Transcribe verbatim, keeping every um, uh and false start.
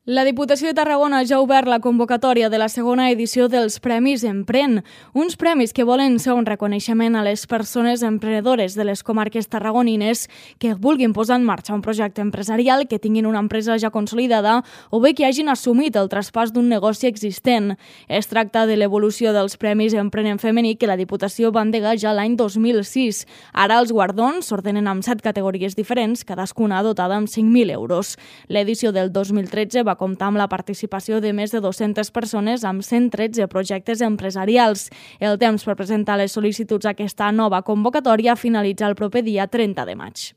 La Diputació de Tarragona ja ha obert la convocatòria de la segona edició dels Premis Empren, uns premis que volen ser un reconeixement a les persones emprenedores de les comarques tarragonines que vulguin posar en marxa un projecte empresarial, que tinguin una empresa ja consolidada o bé que hagin assumit el traspàs d'un negoci existent. Es tracta de l'evolució dels Premis Empren en femení que la Diputació va endegar ja l'any dos mil sis. Ara els guardons s'ordenen amb set categories diferents, cadascuna dotada amb cinc mil euros. L'edició del dos mil tretze va va comptar amb la participació de més de dues-centes persones amb cent tretze projectes empresarials. El temps per presentar les sol·licituds a aquesta nova convocatòria finalitza el proper dia trenta de maig.